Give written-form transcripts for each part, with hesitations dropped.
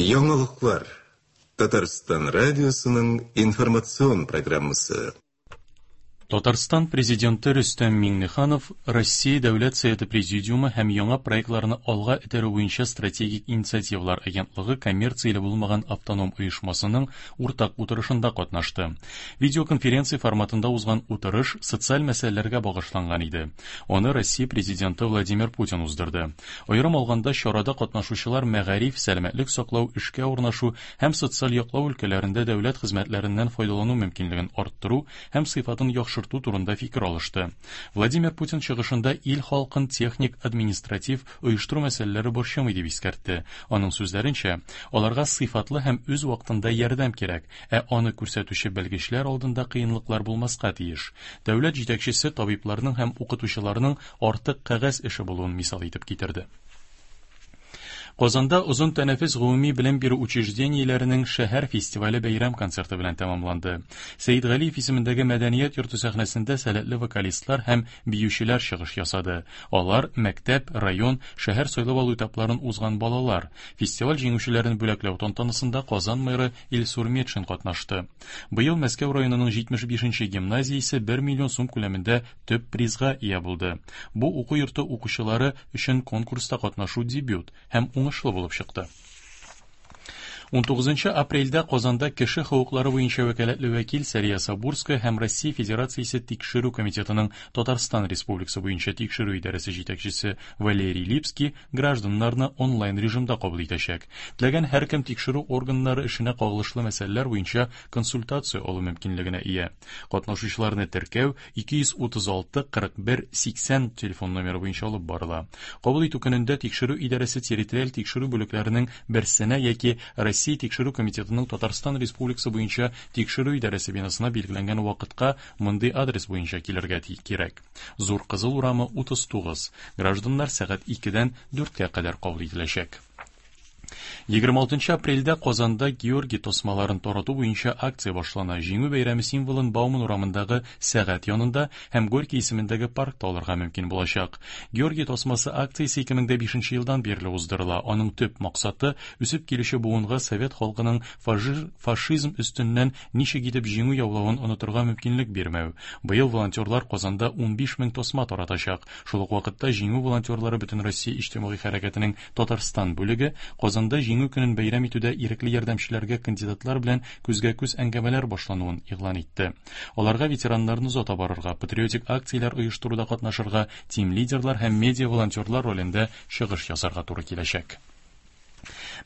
Яңалыклар. Татарстан радиосының информацион программасы. Татарстан Президенты Рөстәм Миңнеханов Россия Дәүләт Советы Президиумы һәм яңа проектларны алга этәрү буенча стратегик инициативалар агентлыгы коммерцияле булмаган автоном оешмасының уртак утырышында катнашты. Видеоконференция форматында узган утырыш социаль мәсьәләләргә багышланган иде. Аны Россия Президенты Владимир Путин уздырды. Аерым алганда, чарада катнашучылар мәгариф, сәламәтлек саклау, эшкә урнашу һәм социаль яклау өлкәләрендә дәүләт хезмәтләреннән файдалану мөмкинлеген арттыру һәм сыйфатын яхшырту турында фикер алышты. Владимир Путин чыгышында ил халкын техник, административ, оештыру мәсьәләләре борчымый дип искәртте. Аның сүзләренчә, аларга сыйфатлы һәм үз вакытында ярдәм кирәк, ә аны күрсәтүче белгечләр алдында кыенлыклар булмаска тиеш. Дәүләт җитәкчесе табибларның һәм укытучыларның артык кәгазь эше булуын мисал итеп китерде. Казанда озын тәнәфес гомуми белем бирү учреждениеләренең шәһәр фестивале бәйрәм концерты белән тәмамланды. Сәидгалиев исемендәге мәдәният йорты сәхнәсендә сәләтле вокалистлар һәм биючеләр чыгыш ясады. Алар мәктәп, район, шәһәр сайлап алу этапларын узган балалар. Фестиваль җиңүчеләрен бүләкләү тантанасында Казан мэры Илсур Метшин катнашты. Быел Мәскәү районының 75 нче гимназиясе 1 миллион сум күләмендә төп призга ия булды. Бу уку йорты укучылары өчен конкурста катнашу дебют һәм уңышлы булып чыкты. 19 апрельдә Казанда кеше хокуклары буенча вәкаләтле вәкил Сәрия Сабурская һәм Россия Федерациясе Тикшерү комитетының Татарстан Республикасы буенча тикшерү идарәсе җитәкчесе Валерий Липский гражданнарны онлайн режимда кабул итәчәк. Теләгән һәркем тикшерү органнары эшенә кагылышлы мәсьәләләр буенча консультация алу мөмкинлегенә ия. Катнашучыларны теркәү 236 41 80 телефон номеры буенча алып барыла. Кабул итү көнендә тикшерү идарәсе территориаль тикшерү бүлекләренең берсенә яки Россия Тикшерү комитетының Татарстан Республикасы буенча тикшерү идарәсе бинасына билгеләнгән вакытка мондый адрес буенча килергә кирәк. Зур Кызыл урамы 39. Гражданнар сәгать 2-дән 4-кә кадәр кабул ителәчәк. 26 апрельдә Казанда Георгий тасмаларын тарату буенча акция башлана. Җиңү бәйрәме символын Бауман урамындагы сәгать янында һәм Горький исемендәге паркта алырга мөмкин булачак. Георгий тасмасы акциясе 2005 елдан бирле уздырыла. Аның төп максаты үсеп килүче буынга совет халкының фашизм өстеннән ничек итеп җиңү яулавын онытырга мөмкинлек бирмәү. Быел волонтерлар Казанда 15 мең тасма таратачак. Шул ук вакытта Җиңү волонтерлары Бөтенроссия иҗтимагый хәрәкәтенең Татарстан бүлеге Казанда Җиңү көнен бәйрәм итүдә ирекле ярдәмчеләргә кандидатлар белән күзгә-күз әңгәмәләр башлануын игълан итте. Аларга ветераннарны озата барырга, патриотик акцияләр оештыруда катнашырга, тим-лидерлар һәм медиа-волонтерлар ролендә чыгыш ясарга туры киләчәк.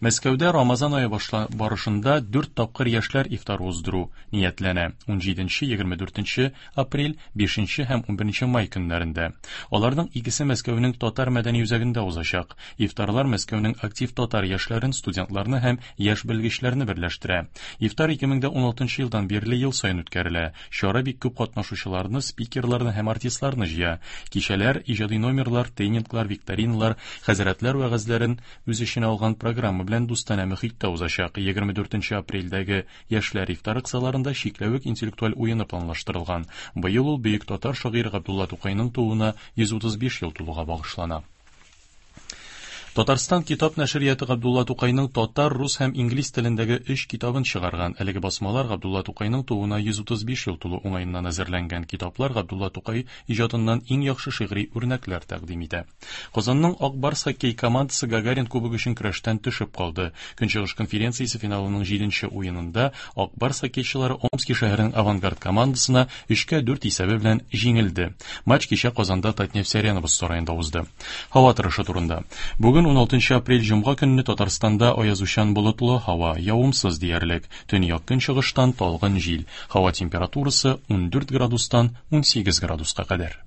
Мәскәүдә Рамазан ае барышында дүрт тапкыр яшьләр ифтары уздыру ниятләнә. 17, 24 апрель, 5 һәм 11 май көннәрендә. Аларның икесе Мәскәүнең Татар мәдәни үзәгендә узачак. Ифтарлар Мәскәүнең актив татар яшьләрен, студентларны һәм яшь белгечләрне берләштерә. Ифтар 2016 елдан бирле ел саен үткәрелә. Чара бик күп катнашучыларны, спикерларны һәм артистларны җыя. Кичәләр, иҗади номерлар, тренинглар, викториналар, хәзрәтләр вәгазьләрен үз эченә алган программа белән дустанә мөхиттә узачак. 24 апрельдәге Яшьләр ифтары кысаларында Чикләвек интеллектуаль уены планлаштырылган. Быел ул бөек татар шагыйре Габдулла Тукайның тууына 135 ел тулуга багышлана. Татарстан китап нәшрияты Габдулла Тукайның татар, рус һәм инглиз телендәге өч китабын чыгарган. Әлеге басмалар Габдулла Тукайның тууына 135 ел тулу уңаеннан әзерләнгән. Китаплар Габдулла Тукай иҗатыннан иң яхшы шигъри үрнәкләр тәкъдим итә. Казанның Ак Барс хоккей командасы Гагарин кубогы өчен көрәштән төшеп калды. Көнчыгыш конференциясе финалының җиденче уенында Ак Барс хоккейчылары Омски шәһәренең Авангард командасына 3-кә 4 исәбе белән җиңелде. Матч кичә Казанда Татнефть Арена боз сараенда узды. Һава торышы турында. Бүген 16 апрель җомга көнне Татарстанда аязучан болытлы һава, явымсыз диярлек. Төньяк-көнчыгыштан талгын җил. Һава температурасы 14 градустан 18 градуска кадәр.